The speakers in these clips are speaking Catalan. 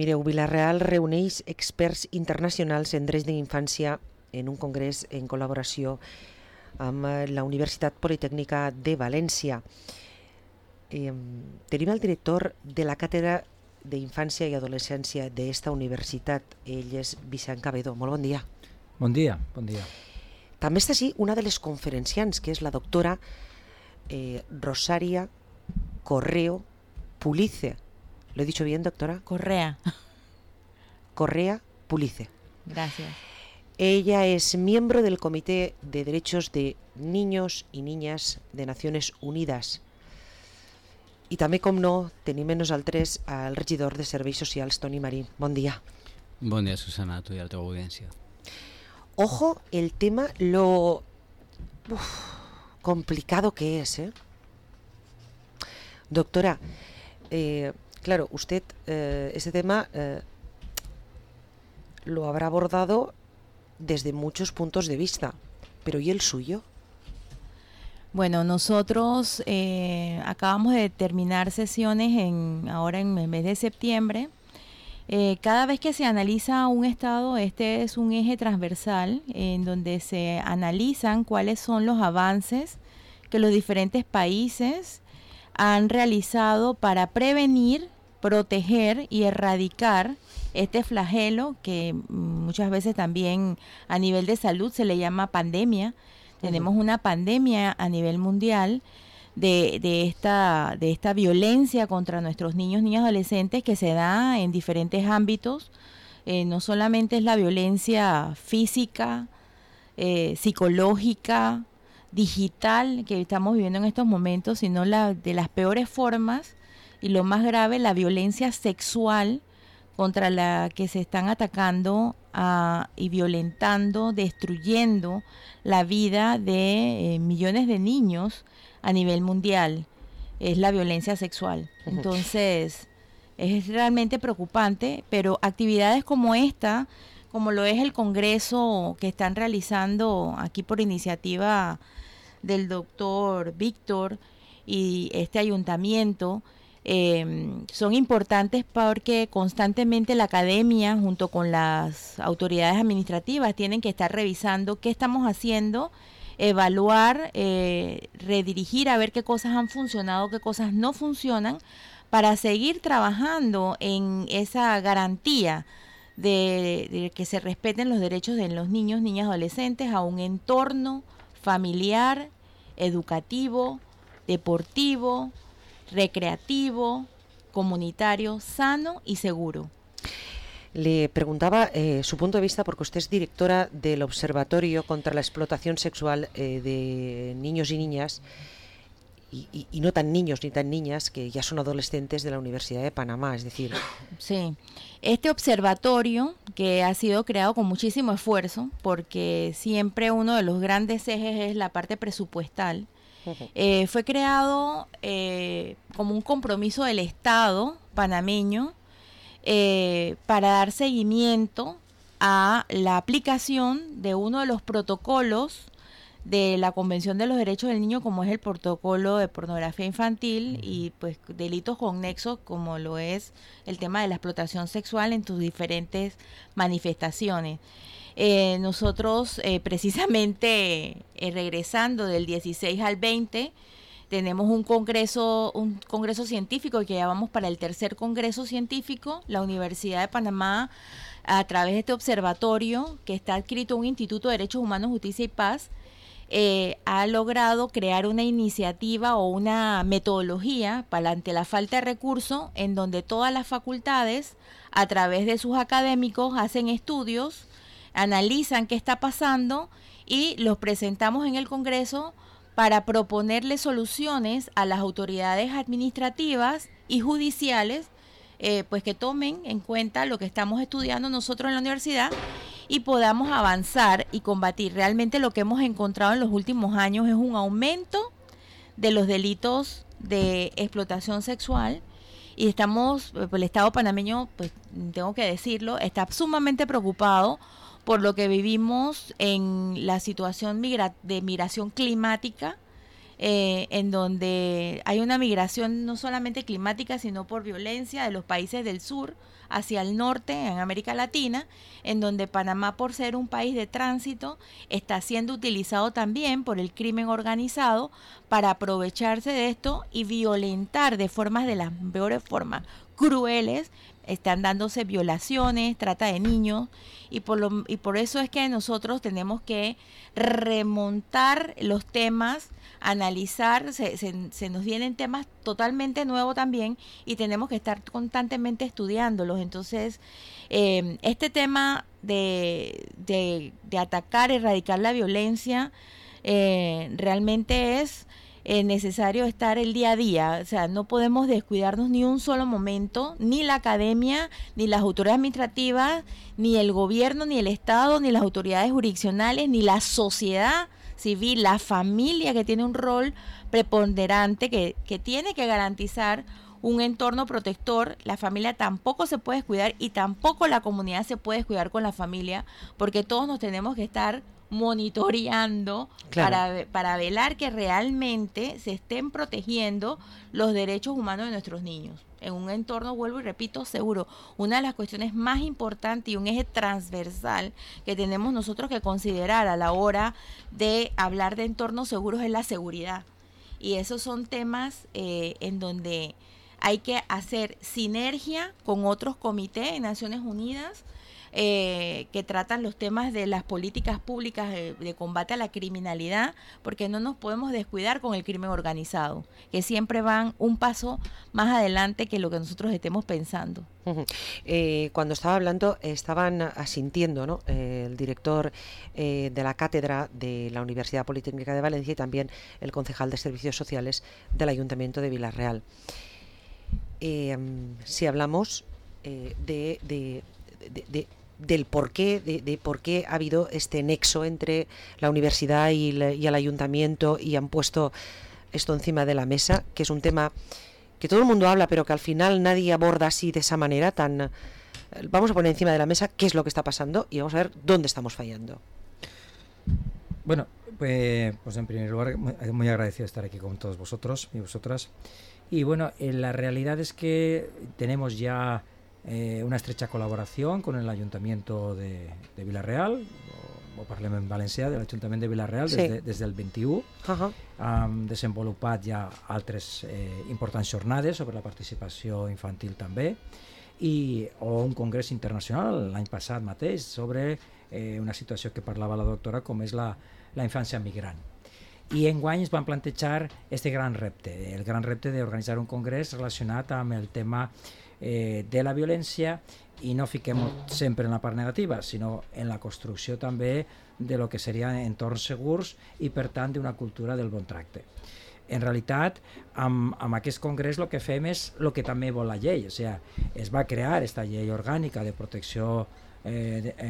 Mireu, Vila-real reuneix experts internacionals en drets d'infància en un congrés en col·laboració amb la Universitat Politècnica de València. Tenim el director de la càtedra d'Infància i Adolescència d'esta universitat. Ell és Vicent Cabedo. Molt bon dia. Bon dia, bon dia. També està així una de les conferenciants, que és la doctora Rosaria Correo Pulice. ¿Lo he dicho bien, doctora? Correa Pulice. Gracias. Ella es miembro del Comité de Derechos de Niños y Niñas de Naciones Unidas. I també, com no, tenim amb nosaltres el regidor de Serveis Socials, Toni Marín. Bon dia. Bon dia, Susana, a tu i a la teva audiència. Ojo, el tema, lo complicado que es, ¿eh? Doctora, claro, usted este tema lo habrá abordado desde muchos puntos de vista, pero ¿y el suyo? Bueno, nosotros acabamos de terminar sesiones ahora en el mes de septiembre. Cada vez que se analiza un estado, este es un eje transversal en donde se analizan cuáles son los avances que los diferentes países han realizado para prevenir, proteger y erradicar este flagelo que muchas veces también a nivel de salud se le llama pandemia. Tenemos una pandemia a nivel mundial de esta violencia contra nuestros niños, niñas, adolescentes que se da en diferentes ámbitos. No solamente es la violencia física, psicológica, digital que estamos viviendo en estos momentos, sino de las peores formas y lo más grave, la violencia sexual contra la que se están atacando y violentando, destruyendo la vida de millones de niños a nivel mundial. Es la violencia sexual. Entonces, es realmente preocupante, pero actividades como esta, como lo es el congreso que están realizando aquí por iniciativa del doctor Víctor y este ayuntamiento, son importantes porque constantemente la academia junto con las autoridades administrativas tienen que estar revisando qué estamos haciendo, evaluar, redirigir a ver qué cosas han funcionado, qué cosas no funcionan, para seguir trabajando en esa garantía de que se respeten los derechos de los niños, niñas, adolescentes a un entorno familiar, educativo, deportivo, recreativo, comunitario, sano y seguro. Le preguntaba su punto de vista porque usted es directora del Observatorio contra la Explotación Sexual de Niños y Niñas y no tan niños ni tan niñas que ya son adolescentes de la Universidad de Panamá, es decir... Sí, este observatorio que ha sido creado con muchísimo esfuerzo porque siempre uno de los grandes ejes es la parte presupuestal. Fue creado como un compromiso del Estado panameño para dar seguimiento a la aplicación de uno de los protocolos de la Convención de los Derechos del Niño, como es el protocolo de pornografía infantil y pues delitos conexos como lo es el tema de la explotación sexual en sus diferentes manifestaciones. Nosotros precisamente regresando del 16 al 20 tenemos un congreso científico que ya vamos para el tercer congreso científico. La Universidad de Panamá, a través de este observatorio que está adscrito a un Instituto de Derechos Humanos, Justicia y Paz, ha logrado crear una iniciativa o una metodología ante la falta de recursos en donde todas las facultades a través de sus académicos hacen estudios, analizan qué está pasando y los presentamos en el Congreso para proponerle soluciones a las autoridades administrativas y judiciales, pues que tomen en cuenta lo que estamos estudiando nosotros en la universidad y podamos avanzar y combatir. Realmente lo que hemos encontrado en los últimos años es un aumento de los delitos de explotación sexual y estamos, el Estado panameño, pues tengo que decirlo, está sumamente preocupado por lo que vivimos en la situación de migración climática en donde hay una migración no solamente climática, sino por violencia de los países del sur hacia el norte, en América Latina, en donde Panamá, por ser un país de tránsito, está siendo utilizado también por el crimen organizado para aprovecharse de esto y violentar de las peores formas, crueles. Están dándose violaciones, trata de niños, y por eso es que nosotros tenemos que remontar los temas, analizar, se nos vienen temas totalmente nuevos también, y tenemos que estar constantemente estudiándolos. Entonces, este tema de atacar, erradicar la violencia, realmente es necesario estar el día a día. O sea, no podemos descuidarnos ni un solo momento, ni la academia, ni las autoridades administrativas, ni el gobierno, ni el Estado, ni las autoridades jurisdiccionales, ni la sociedad civil, la familia, que tiene un rol preponderante, que tiene que garantizar un entorno protector. La familia tampoco se puede descuidar, y tampoco la comunidad se puede descuidar con la familia, porque todos nos tenemos que estar monitoreando, claro, para velar que realmente se estén protegiendo los derechos humanos de nuestros niños en un entorno, vuelvo y repito, seguro. Una de las cuestiones más importantes y un eje transversal que tenemos nosotros que considerar a la hora de hablar de entornos seguros es la seguridad, y esos son temas en donde hay que hacer sinergia con otros comités en Naciones Unidas que tratan los temas de las políticas públicas de combate a la criminalidad, porque no nos podemos descuidar con el crimen organizado, que siempre van un paso más adelante que lo que nosotros estemos pensando. Cuando estaba hablando, estaban asintiendo, ¿no? El director de la cátedra de la Universidad Politécnica de Valencia y también el concejal de Servicios Sociales del Ayuntamiento de Vila-real. Si hablamos del porqué, de por qué ha habido este nexo entre la universidad y el ayuntamiento, y han puesto esto encima de la mesa, que es un tema que todo el mundo habla, pero que al final nadie aborda así, de esa manera tan... Vamos a poner encima de la mesa qué es lo que está pasando y vamos a ver dónde estamos fallando. Bueno, pues en primer lugar, muy agradecido de estar aquí con todos vosotros y vosotras. Y bueno, la realidad es que tenemos ya una estrecha colaboración con el Ayuntamiento de Vila-real, o Parlament Valencià, del Ayuntamiento de Vila-real, sí, des del 21. Hem desenvolupat ja altres importants jornades sobre la participació infantil també, o un congrés internacional l'any passat mateix sobre una situació que parlava la doctora, com és la infància migrant. I enguany es van plantejar este gran repte, el gran repte d'organitzar un congrés relacionat amb el tema de la violència, i no fiquem sempre en la part negativa, sinó en la construcció també de lo que serien entorns segurs i, per tant, d'una cultura del bon tracte. En realitat, amb aquest congrés el que fem és el que també vol la llei, o sigui, es va crear aquesta llei orgànica de protecció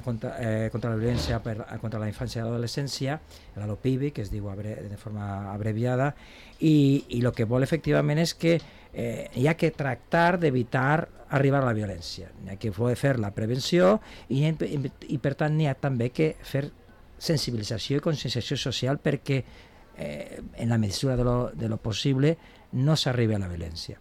contra la violència contra la infància i l'adolescència, la LOPIVI, que es diu de forma abreviada, i el que vol efectivament és que hi ha que tractar d'evitar arribar a la violència, hi ha que fer la prevenció i per tant n'hi ha també que fer sensibilització i conscienciació social perquè en la mesura de lo possible no s'arribi a la violència.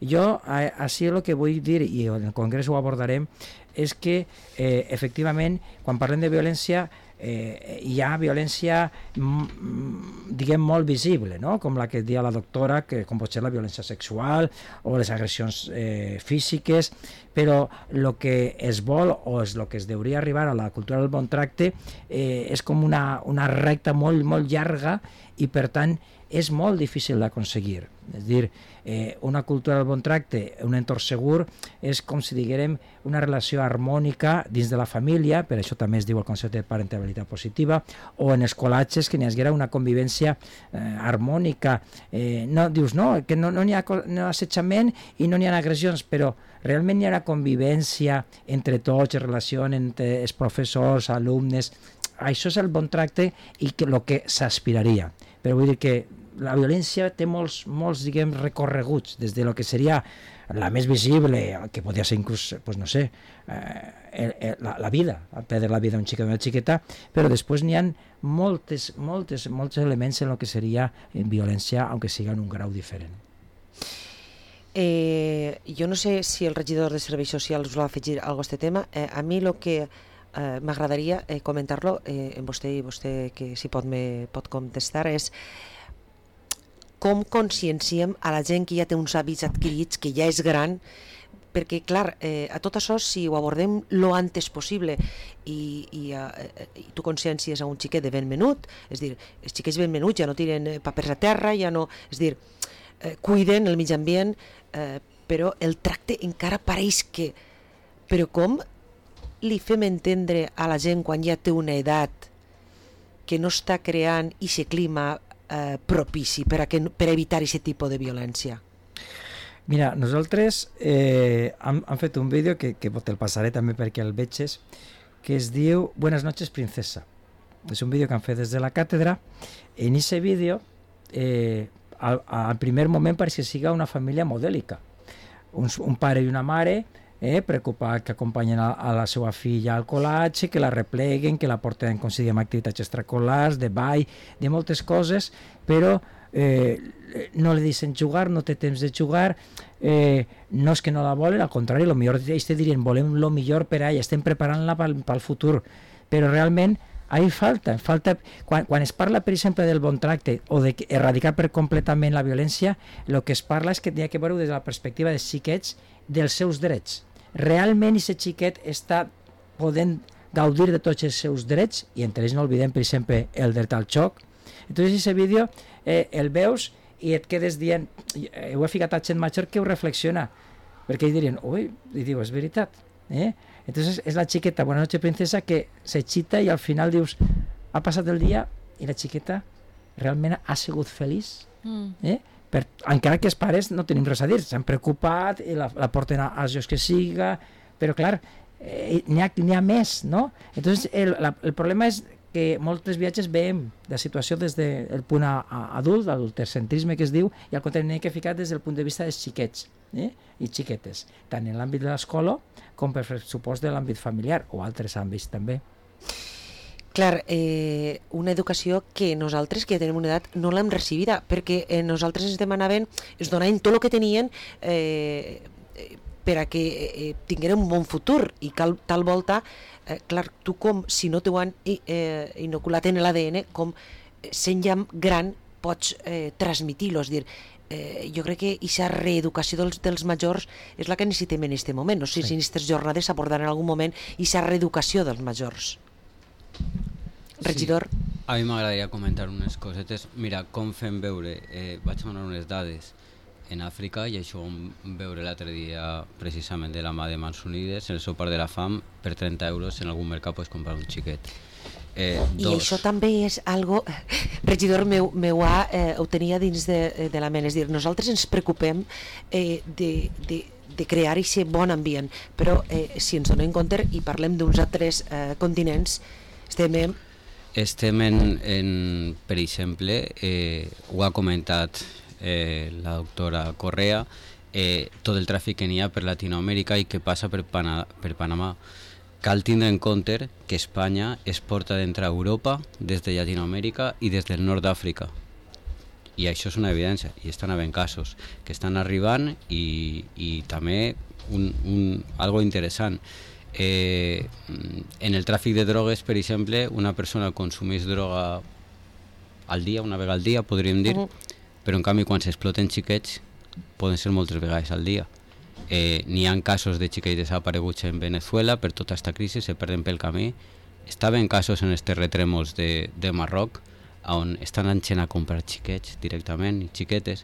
Jo, així el que vull dir, i en el congrés ho abordarem, és que efectivament quan parlem de violència hi ha violència diguem molt visible, no? Com la que deia la doctora, que com pot ser la violència sexual o les agressions físiques, però el que es vol o és el que es hauria arribar a la cultura del bon tracte és com una recta molt, molt llarga, i per tant és molt difícil d'aconseguir. És a dir, una cultura del bon tracte, un entorn segur, és com si diguérem una relació harmònica dins de la família, per això també es diu el concepte de parentalitat positiva, o en escolatges que n'hi haguera una convivència harmònica. No, dius, no, que no hi ha assetjament i no n'hi ha agressions, però realment hi ha una convivència entre tots, relació entre els professors, alumnes. Això és el bon tracte i el que s'aspiraria. Però vull dir que la violència té molts diguem, recorreguts, des de lo que seria la més visible, que podria ser inclús, pues no sé, la vida, perdre la vida d'un xiquet o una xiqueta, però després n'hi ha molts elements en el que seria violència, aunque siga en un grau diferent. Jo no sé si el regidor de Serveis Socials us va afegir alguna cosa a aquest tema. A mi el que m'agradaria comentar-lo amb vostè, i vostè que si pot contestar, és com conscienciem a la gent que ja té uns hàbits adquirits, que ja és gran, perquè, clar, a tot això, si ho abordem lo antes possible i tu consciències a un xiquet de ben menut, és dir, els xiquets ben menuts ja no tiren papers a terra, ja no, és dir, cuiden el mig ambient, però el tracte encara pareix que... Però com li fem entendre a la gent quan ja té una edat que no està creant aquest clima propici per evitar aquest tipus de violència? Mira, nosaltres hem fet un vídeo que te'l passaré també perquè el veges, que es diu Buenas noches, princesa. És un vídeo que han fet des de la càtedra. En aquest vídeo, al primer moment pareix que siga una família modèlica. Un pare i una mare preocupat, que acompanyen a la seva filla al col·latge, que la repleguen, que la porten com si diguem activitats extracolars, de ball, de moltes coses, però no li deixen jugar, no té temps de jugar, no és que no la volen, al contrari, potser ells te dirien volem el millor per a ella, estem preparant-la pel futur, però realment ahí falta quan es parla, per exemple, del bon tracte o d'erradicar per completament la violència, el que es parla és que ha que veure des de la perspectiva dels xiquets dels seus drets. Realment aquest xiquet està podent gaudir de tots els seus drets, i entre ells no oblidem, per exemple, el dret al xoc. Entonces aquest vídeo el veus i et quedes dient, ho he ficat a gent major que ho reflexiona, perquè ells dirien, ui, i diu, és veritat, Entonces és la xiqueta, Buenas noches, princesa, que s'excita i al final dius, ha passat el dia i la xiqueta realment ha sigut feliç, encara que els pares no tenim res a dir, s'han preocupat i la porten als llocs que siga, però clar, n'hi ha més, no? Entonces el problema és que molts viatges veiem la situació des del punt adult, l'adultocentrisme que es diu, i al contrari n'hi ha que ficar des del punt de vista dels xiquets i xiquetes, tant en l'àmbit de l'escola com per supost de l'àmbit familiar o altres àmbits també. Clar, una educació que nosaltres, que tenim una edat, no l'hem recibida, perquè nosaltres ens demanaven, ens donaven tot el que tenien per a que tingueren un bon futur, i tal volta, clar, tu com, si no t'ho han inoculat en l'ADN, com sent ja gran pots transmitir-lo, és dir, jo crec que aquesta reeducació dels majors és la que necessitem en aquest moment. No sé si en aquestes jornades s'abordarà en algun moment aquesta reeducació dels majors. Regidor? Sí. A mi m'agradaria comentar unes cosetes. Mira, com fem veure, vaig donar unes dades en Àfrica, i això ho vam veure l'altre dia precisament de la mà de Mans Unides, en el sopar de la fam, per 30 euros en algun mercat pots comprar un xiquet. I això també és algo, regidor, ho tenia dins de la ment, és dir, nosaltres ens preocupem de crear aquest bon ambient, però si ens donem compte i parlem d'uns altres continents, estem en, per exemple, ho ha comentat la doctora Correa, tot el tràfic que n'hi ha per Latinoamèrica i que passa per Panamà. Cal tindre en compte que Espanya es porta d'entrar a Europa des de Llatinoamèrica i des del nord d'Àfrica. I això és una evidència, i estan havent casos que estan arribant, i també algo interessant. En el tràfic de drogues, per exemple, una persona consumeix droga al dia, una vegada al dia, podríem dir, però en canvi quan s'exploten xiquets poden ser moltes vegades al dia. N'hi ha casos de xiquets desapareguts en Venezuela per tota aquesta crisi, se perden pel camí. Estaven casos en els terratrèmols de Marroc, on estan anant a comprar xiquets directament, xiquetes,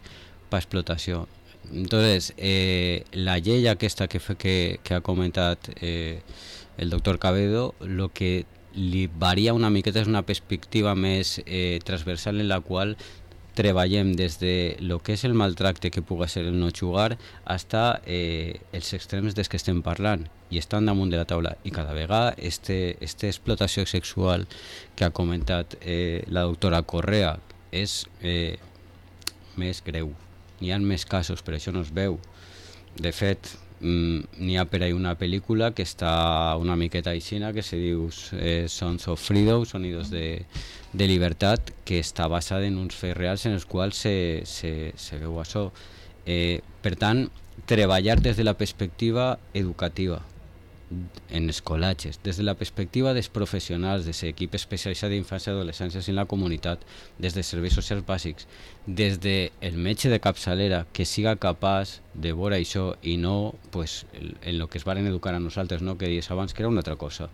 per explotació. Entonces, la llei aquesta que ha comentat el doctor Cabedo, el que li varia una miqueta és una perspectiva més transversal, en la qual treballem des de lo que és el maltracte que pugui ser el no jugar fins els extrems dels que estem parlant, i estan damunt de la taula, i cada vegada aquesta explotació sexual que ha comentat la doctora Correa és més greu. N'hi ha més casos, però això no es veu. De fet, n'hi ha per ahí una pel·lícula que està una miqueta aixina, que se diu Sons of Freedom, Sonidos de Libertat, que està basada en uns fets reals en els quals se veu això. Per tant, treballar des de la perspectiva educativa, en escolatges, des de la perspectiva dels professionals, des de l'equip especialitzat d'infància i adolescència en la comunitat, des de serveis socials bàsics, des del metge de capçalera que siga capaç de veure això i no pues, en el que es varen educar a nosaltres, no? Que dius abans que era una altra cosa.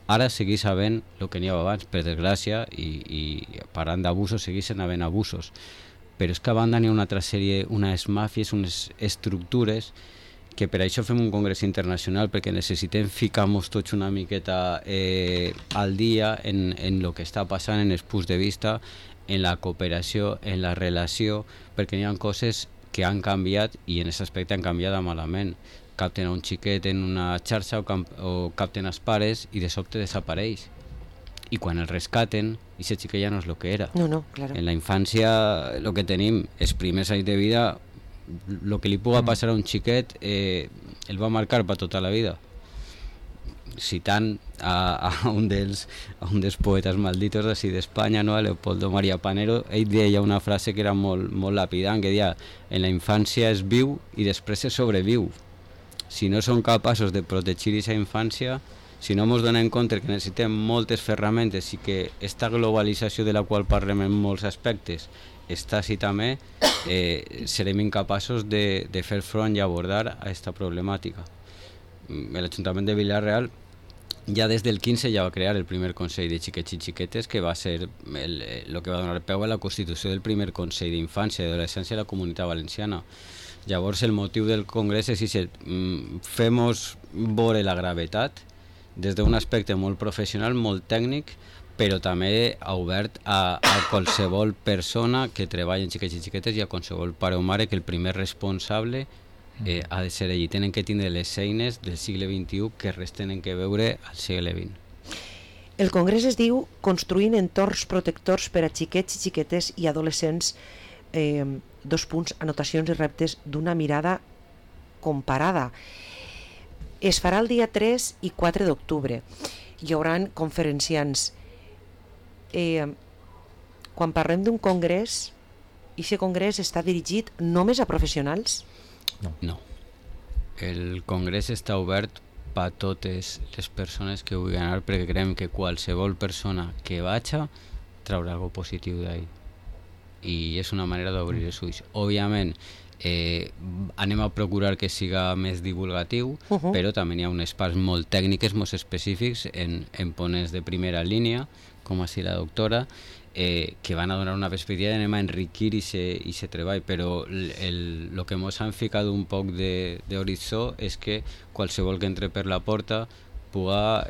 Ara seguís havent el que n'hi havia abans, per desgràcia, i parlant d'abusos segueixen havent abusos, però és que a banda n'hi ha una altra sèrie, unes màfies, unes estructures que per això fem un congrés internacional, perquè necessitem ficar-nos tots una miqueta al dia en el que està passant, en els punts de vista, en la cooperació, en la relació, perquè hi ha coses que han canviat i en aquest aspecte han canviat malament. Capten a un xiquet en una xarxa o capten els pares i de sobte desapareix. I quan el rescaten, aquest xiquet ja no és el que era. No, claro. En la infància el que tenim, els primers anys de vida, el que li puga passar a un xiquet el va marcar per tota la vida. Citant a un dels poetes malditos d'ací d'Espanya, no? A Leopoldo María Panero, ell deia una frase que era molt lapidant, que deia: en la infància es viu i després es sobreviu. Si no som capaços de protegir aquesta infància, si no ens donem compte que necessitem moltes ferramentes i que aquesta globalització de la qual parlem en molts aspectes està així també, serem incapaços de fer front i abordar aquesta problemàtica. L'Ajuntament de Vila-real ja des del 15 ja va crear el primer Consell de Xiquets i Xiquetes, que va ser el que va donar peu a la constitució del primer Consell d'Infància i Adolescència de la Comunitat Valenciana. Llavors el motiu del congrés és fem-nos veure la gravetat des d'un aspecte molt professional, molt tècnic, però també obert a qualsevol persona que treballa en xiquets i xiquetes i a qualsevol pare o mare, que el primer responsable ha de ser ell. Tenen que tindre les eines del segle XXI que res tenen que veure al segle XX. El congrés es diu Construint entorns protectors per a xiquets i xiquetes i adolescents, anotacions i reptes d'una mirada comparada. Es farà el dia 3 i 4 d'octubre. Hi haurà conferenciants. Quan parlem d'un congrés, aquest congrés està dirigit només a professionals? No. El congrés està obert per a totes les persones que vulguin anar, perquè creiem que qualsevol persona que vagi traurà alguna positiu d'ahí. I és una manera d'obrir els ulls. Òbviament, anem a procurar que siga més divulgatiu, però també hi ha unes parts molt tècniques, molt específics, en ponents de primera línia, com així la doctora, que van a donar una perspectiva, anem a enriquir aquest treball, però el que ens han ficat un poc d'horitzó és que qualsevol que entre per la porta puga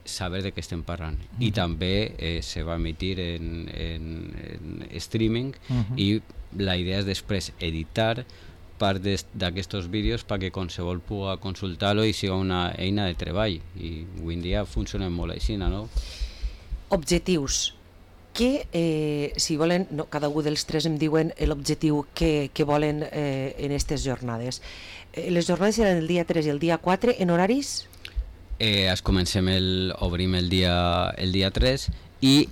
saber de què estem parlant. I també se va emitir en streaming i la idea és després editar part d'aquests vídeos perquè qualsevol puga consultar-lo i siga una eina de treball. I avui en dia funcionen molt així, no? Objectius. Si volen, cada un dels tres em diuen l'objectiu que volen en aquestes jornades. Les jornades seran el dia 3 i el dia 4 en horaris? Obrim el dia 3 i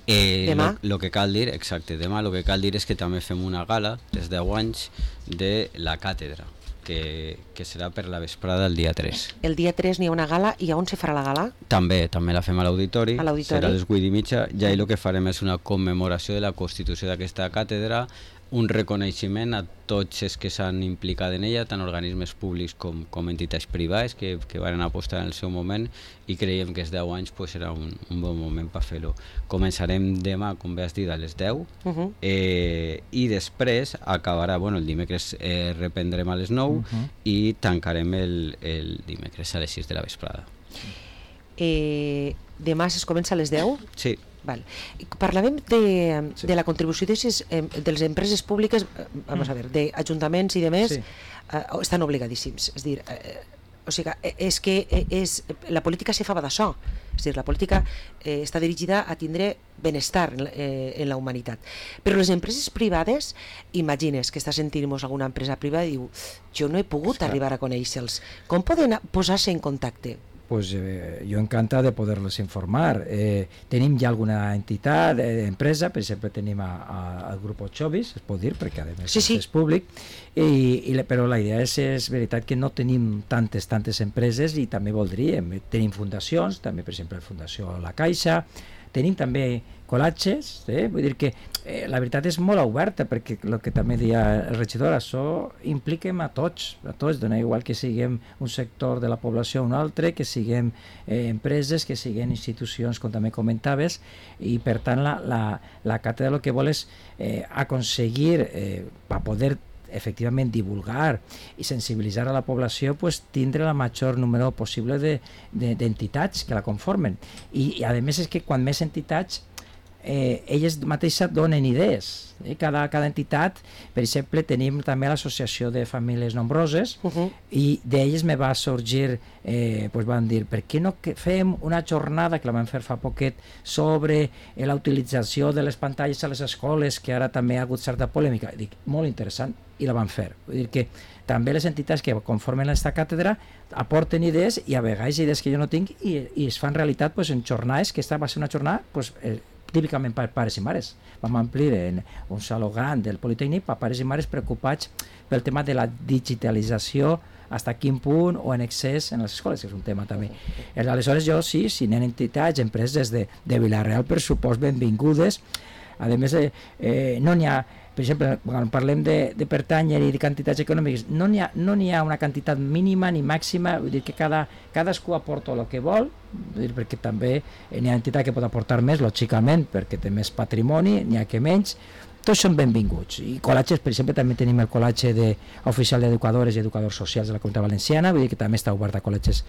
demà? El que cal dir, exacte, demà el que cal dir és que també fem una gala des de 10 anys de la càtedra, que serà per la vesprada el dia 3. El dia 3 n'hi ha una gala, i on se farà la gala? També la fem a l'auditori, serà a les 8:30, i ahir el que farem és una commemoració de la constitució d'aquesta càtedra, un reconeixement a tots els que s'han implicat en ella, tant organismes públics com entitats privades que van apostar en el seu moment, i creiem que els 10 anys serà un bon moment per fer-ho. Començarem demà, com bé has dit, a les 10, i després acabarà, el dimecres reprendrem a les 9 i tancarem el dimecres a les 6 de la vesprada. Demà es comença a les 10? Sí. Val. Parlàvem de la contribució de les empreses públiques, vamos a ver, d'ajuntaments i demés, estan obligadíssims. És dir, O sigui, és que la política se fa d'això. És a dir, la política està dirigida a tindre benestar en la humanitat. Però les empreses privades, imagines que està sentint-nos alguna empresa privada i diu, jo no he pogut arribar a conèixer-los. Com poden posar-se en contacte? Pues yo encanta de poderlos informar. Tenim ja alguna entitat, empresa, per exemple tenim al grup Chovis, es pot dir, perquè a més és públic, però la idea és veritat que no tenim tantes empreses i també voldríem. Tenim fundacions, també per exemple la Fundació La Caixa, tenim també col·latges, vull dir que la veritat és molt oberta, perquè el que també deia el regidor, això impliquem a tots, dona igual que siguem un sector de la població o un altre, que siguem empreses, que siguem institucions, com també comentaves, i per tant la càtedra el que vol és aconseguir a poder efectivament divulgar i sensibilitzar a la població, pues, tindre el major número possible d'entitats que la conformen. I a més és que quan més entitats elles mateixes donen idees. Cada entitat, per exemple, tenim també l'associació de famílies nombroses i d'elles me va sorgir, van dir, per què no fem una jornada, que la vam fer fa poquet, sobre la utilització de les pantalles a les escoles, que ara també ha hagut certa polèmica. Dic, molt interessant, i la van fer. Vull dir que també les entitats que conformen aquesta càtedra aporten idees i a vegades idees que jo no tinc i es fan realitat en jornades, que esta va ser una jornada típicament per pares i mares. Vam omplir en un saló gran del Politécnic per pares i mares preocupats pel tema de la digitalització, fins a quin punt o en excés en les escoles, que és un tema també. Aleshores jo sí, si n'hi ha entitats, empreses de Vila-real, per supost benvingudes. A més, no n'hi ha, per exemple, quan parlem de pertànyer i de quantitats econòmiques, no n'hi ha una quantitat mínima ni màxima, vull dir que cadascú aporta el que vol, vull dir, perquè també n'hi ha entitat que pot aportar més, lògicament, perquè té més patrimoni, n'hi ha que menys. Tots són benvinguts. I col·latges, per exemple, també tenim el col·latge oficial d'educadores i educadors socials de la Comunitat Valenciana, vull dir que també està obert a col·latges.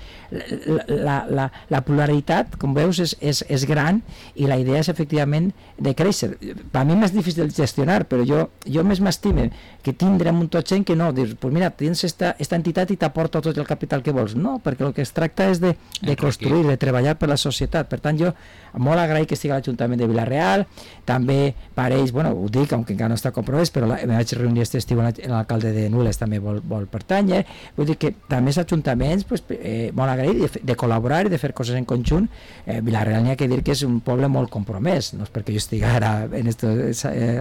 La pluralitat, com veus, és gran i la idea és efectivament de créixer. Per mi és difícil de gestionar, però jo més m'estime que tindre un tot gent que no, dir, pues mira, tens esta entitat i t'aporta tot el capital que vols. No, perquè el que es tracta és de construir, de treballar per la societat. Per tant, jo molt agraït que estigui a l'Ajuntament de Vila-real, també per ells, bueno, ho dic, aunque encara no està compromès, però me vaig reunir aquest estiu amb l'alcalde de Nules, també vol pertànyer. Vull dir que també els ajuntaments, molt agraït de col·laborar i de fer coses en conjunt. Vila-real n'hi ha que dir que és un poble molt compromès, no és perquè jo estigui ara en esta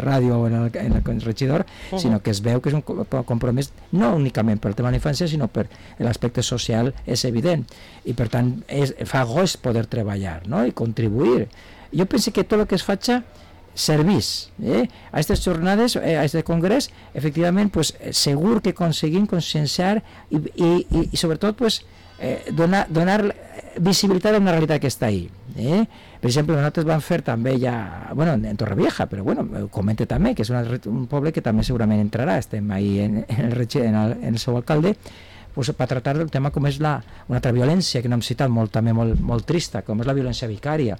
ràdio o en el regidor, sinó que es veu que és un compromès no únicament per el tema de la infància, sinó per l'aspecte social, és evident. I per tant, fa goig poder treballar, no? I contribuir. Jo penso que tot el que es faci servís a aquestes jornades, a aquest congrés, efectivament, segur que aconseguim conscienciar i sobretot donar visibilitat a una realitat que està ahí. Per exemple, nosaltres vam fer també ja, en Torrevieja, però ho comente també, que és un poble que també segurament entrarà, estem ahí en el seu alcalde, per tractar del tema com és una altra violència que no hem citat, també molt trista, com és la violència vicària,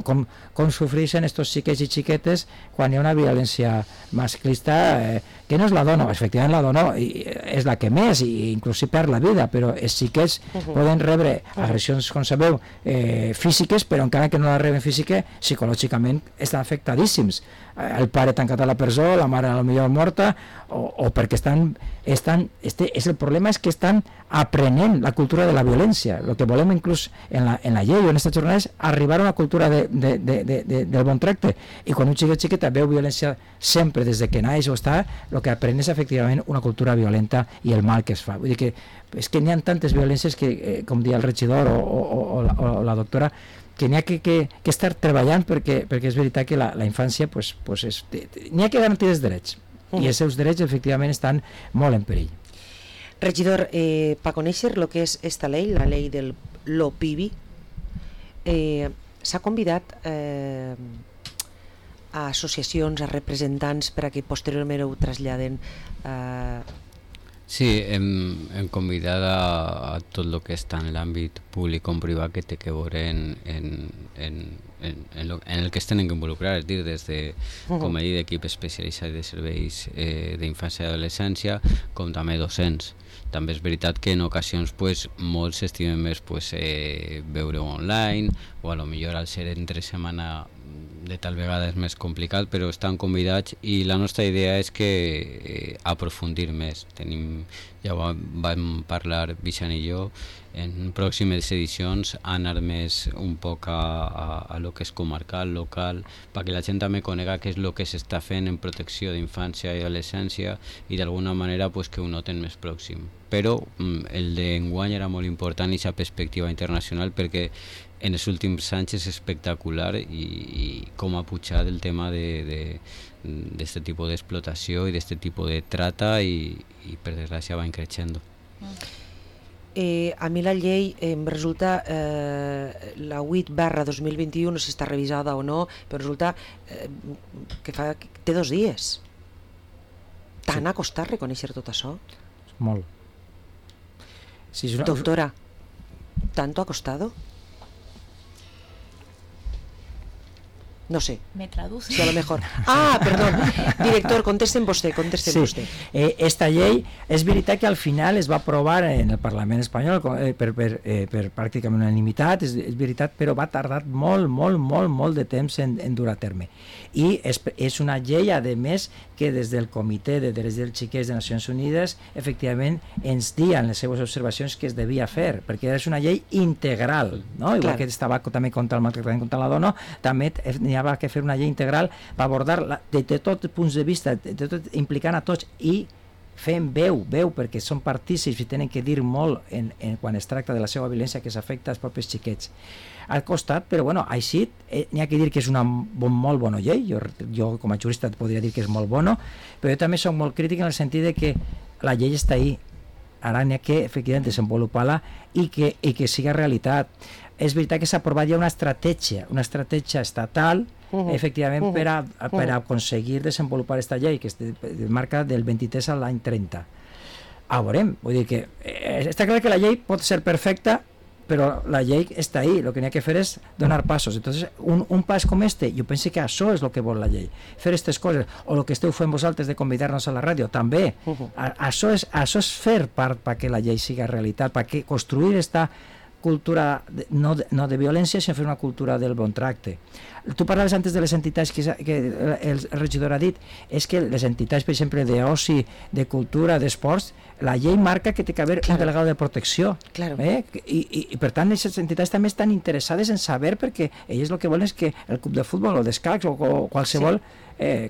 com sofreixen aquests xiquets i xiquetes quan hi ha una violència masclista, que no és la dona, efectivament la dona és la que més, i inclús si perd la vida, però els xiquets poden rebre agressions, com sabeu, físiques, però encara que no la reben física, psicològicament estan afectadíssims. El pare tancat a la presó, la mare potser morta, o perquè el problema és que estan aprenent la cultura de la violència. El que volem inclús en la llei o en aquestes jornades és arribar a una cultura del bon tracte, i quan un xiquet veu violència sempre des que naix o està, el que aprèn és efectivament una cultura violenta i el mal que es fa. Vull dir que és que n'hi ha tantes violències que, com deia el regidor o la doctora, que n'hi ha que estar treballant perquè és veritat que la infància n'hi ha que garantir els drets, i els seus drets efectivament estan molt en perill. Regidor, per conèixer el que és esta llei, la llei del LOPIBI, s'ha convidat a associacions, a representants per a que posteriorment ho traslladen? Sí, hem convidat a tot el que està en l'àmbit públic com privat que té que veure en el que es tenen que involucrar, és dir, des de, com he dit, equip especialitzat de serveis d'infància i adolescència, com també docents. També és veritat que en ocasions pues, molts s'estimen més pues, veure online, o a lo millor al ser entre setmana de tal vegada és més complicat, però estan convidats i la nostra idea és que aprofundir més. Ja vam parlar Vicent i jo, en pròximes edicions anar més un poc a lo que és comarcal, local, perquè la gent també conega què és el que s'està fent en protecció d'infància i adolescència i d'alguna manera pues, que ho noten més pròxim. Però el d'enguany era molt important i aquesta perspectiva internacional perquè en els últims anys és espectacular i com ha pujat el tema d'aquest tipus d'explotació i d'aquest tipus de trata i per desgràcia va creixent. A mi la llei em resulta la 8/2021, no sé si està revisada o no, però resulta que té 2 dies. Tant ha costat reconèixer tot això? Molt. Sí, Doctora, ¿tanto ha costado? No sé. Me traduce. Sí, a lo mejor. Ah, perdón. Director, contesten vostè. Sí. Esta llei, és veritat que al final es va aprovar en el Parlament espanyol per pràcticament unanimitat, és veritat, però va tardar molt de temps en dur a terme. I és una llei, a més, que des del Comitè de Drets dels Xiquets de Nacions Unides efectivament ens diuen les seves observacions que es devia fer, perquè és una llei integral, no? Igual que estava també contra el maltractament contra la dona, també n'hi havia que fer una llei integral per abordar de tots els punts de vista, implicant a tots i fent veu, perquè són partícips i tenen que dir molt quan es tracta de la seva violència que s'afecta als propis xiquets. Al costat, però bueno, així n'hi ha que dir que és una molt bona llei, jo com a jurista et podria dir que és molt bona, però jo també soc molt crític en el sentit de que la llei està ahí, ara n'hi ha que efectivament desenvolupar-la i que siga realitat. És veritat que s'ha aprovat ja una estratègia estatal efectivament per a aconseguir desenvolupar aquesta llei que es marca del 23 a l'any 30. Veurem, vull dir que està clar que la llei pot ser perfecta, però la llei està ahí, el que n'hi ha que fer és donar passos. Entonces, un pas com este, jo penso que això és el que vol la llei, fer aquestes coses, o el que esteu fent vosaltres de convidar-nos a la ràdio, també. Això és fer part perquè la llei siga realitat, perquè construir esta cultura no de violència, sinó fer una cultura del bon tracte. Tu parlaves antes de les entitats que el regidor ha dit, és que les entitats, per exemple, d'oci, de cultura, d'esports, la llei marca que té que haver un delegado de protecció. I per tant, aquestes entitats també estan interessades en saber, perquè elles el que volen és que el club de futbol o d'escacs o qualsevol per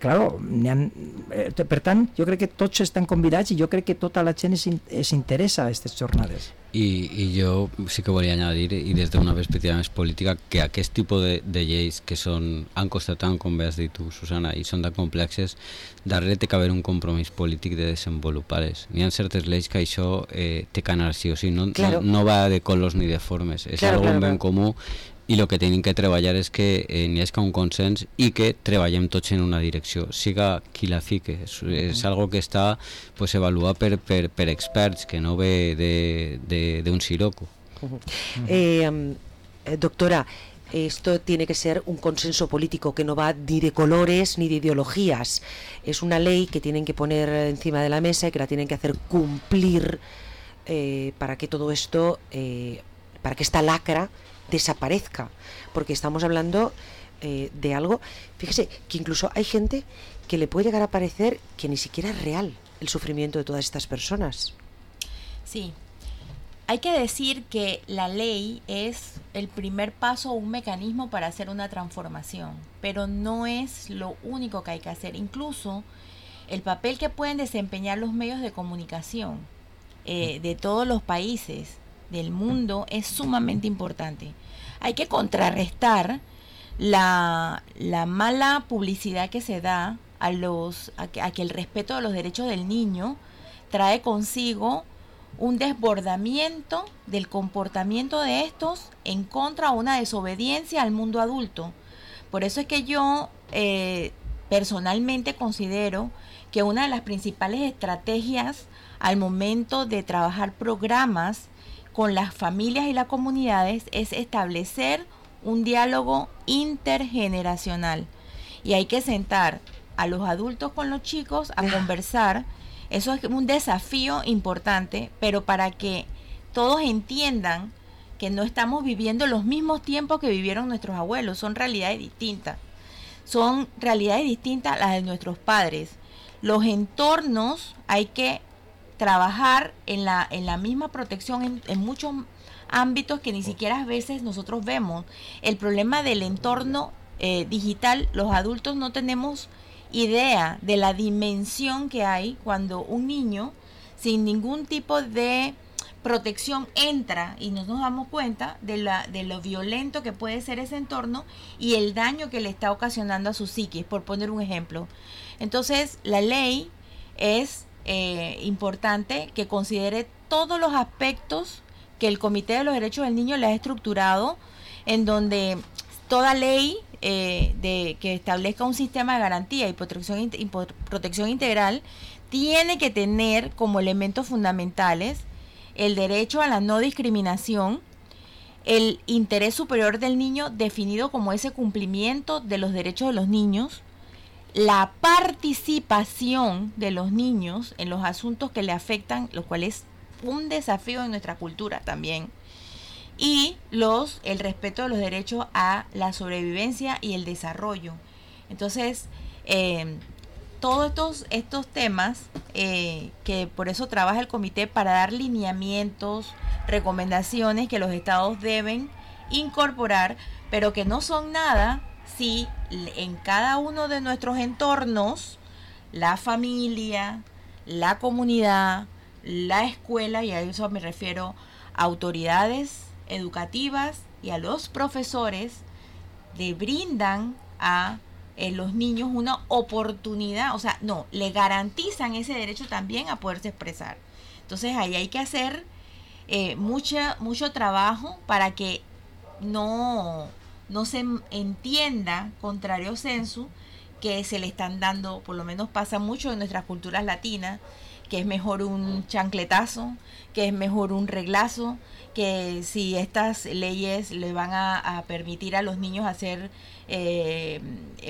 tant, jo crec que tots estan convidats i jo crec que tota la gent s'interessa a aquestes jornades. I jo sí que volia añadir, i des d'una perspectiva més política, que aquest tipus de lleis que han costat tant, com bé has dit tu, Susana, i són tan complexes, darrere té que haver un compromís polític de desenvolupar-les. N'hi ha certes lleis que això té que anar sí o sí, no va de colors ni de formes, és algun ben comú. I el que tenim que treballar és que n'hi hagi un consens i que treballem tots en una direcció, siga qui la fique. És algo que està avaluat per experts, que no ve d'un siroco. Doctora, esto tiene que ser un consenso político que no va ni de colores ni de ideologías. Es una ley que tienen que poner encima de la mesa y que la tienen que hacer cumplir para que todo esto, para que esta lacra desaparezca, porque estamos hablando de algo, fíjese, que incluso hay gente que le puede llegar a parecer que ni siquiera es real el sufrimiento de todas estas personas. Sí, hay que decir que la ley es el primer paso o un mecanismo para hacer una transformación, pero no es lo único que hay que hacer. Incluso el papel que pueden desempeñar los medios de comunicación de todos los países del mundo es sumamente importante. Hay que contrarrestar la mala publicidad que se da a que el respeto de los derechos del niño trae consigo un desbordamiento del comportamiento de estos en contra de una desobediencia al mundo adulto. Por eso es que yo personalmente considero que una de las principales estrategias al momento de trabajar programas con las familias y las comunidades es establecer un diálogo intergeneracional. Y hay que sentar a los adultos con los chicos a conversar. Eso es un desafío importante, pero para que todos entiendan que no estamos viviendo los mismos tiempos que vivieron nuestros abuelos, son realidades distintas. Son realidades distintas a las de nuestros padres. Los entornos hay que trabajar en la misma protección en muchos ámbitos que ni siquiera a veces nosotros vemos. El problema del entorno digital, los adultos no tenemos idea de la dimensión que hay cuando un niño sin ningún tipo de protección entra y no nos damos cuenta de lo violento que puede ser ese entorno y el daño que le está ocasionando a su psiquis, por poner un ejemplo. Entonces, la ley es importante que considere todos los aspectos que el Comité de los Derechos del Niño le ha estructurado, en donde toda ley que establezca un sistema de garantía y protección integral tiene que tener como elementos fundamentales el derecho a la no discriminación, el interés superior del niño definido como ese cumplimiento de los derechos de los niños, la participación de los niños en los asuntos que le afectan, lo cual es un desafío en nuestra cultura también, y el respeto de los derechos a la sobrevivencia y el desarrollo. Entonces, todos estos temas que por eso trabaja el comité para dar lineamientos, recomendaciones que los estados deben incorporar, pero que no son nada si en cada uno de nuestros entornos, la familia, la comunidad, la escuela, y a eso me refiero a autoridades educativas y a los profesores, le brindan a los niños una oportunidad, o sea, no, le garantizan ese derecho también a poderse expresar. Entonces ahí hay que hacer mucho trabajo para que no se entienda, contrario sensu, que se le están dando, por lo menos pasa mucho en nuestras culturas latinas, que es mejor un chancletazo, que es mejor un reglazo, que si estas leyes le van a permitir a los niños hacer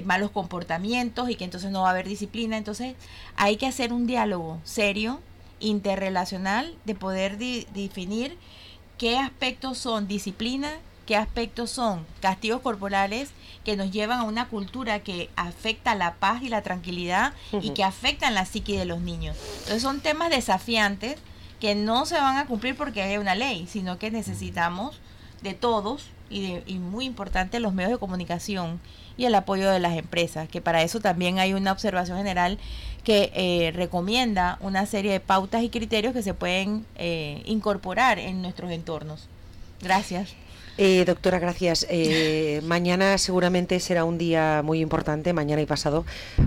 malos comportamientos y que entonces no va a haber disciplina. Entonces hay que hacer un diálogo serio, interrelacional, de poder definir qué aspectos son disciplina, qué aspectos son castigos corporales que nos llevan a una cultura que afecta la paz y la tranquilidad y que afectan la psique de los niños. Entonces son temas desafiantes que no se van a cumplir porque hay una ley, sino que necesitamos de todos y muy importante los medios de comunicación y el apoyo de las empresas, que para eso también hay una observación general que recomienda una serie de pautas y criterios que se pueden incorporar en nuestros entornos. Gracias. Doctora, gracias. Mañana seguramente será un día muy importante, mañana y pasado,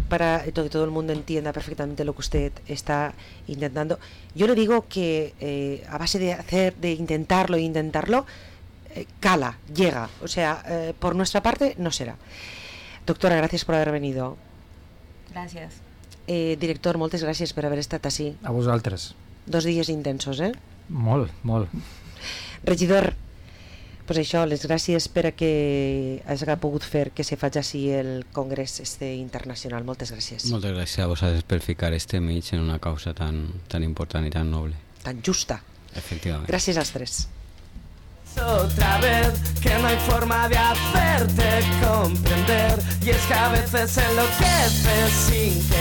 para que todo el mundo entienda perfectamente lo que usted está intentando. Yo le digo que a base de intentarlo, cala, llega. O sea, por nuestra parte no será. Doctora, gracias por haber venido. Gràcies. Director, moltes gràcies per haver estat així. A vosaltres. 2 dies intensos, Molt. Regidor, pues això, les gràcies per a que hagi pogut fer que se faci així el congrés internacional. Moltes gràcies. Moltes gràcies a vosaltres per ficar mig en una causa tan important y tan noble. Tan justa. Efectivamente. Gràcies als 3. Otra vez que no hay forma de hacerte comprender, y es que a veces enloqueces sin que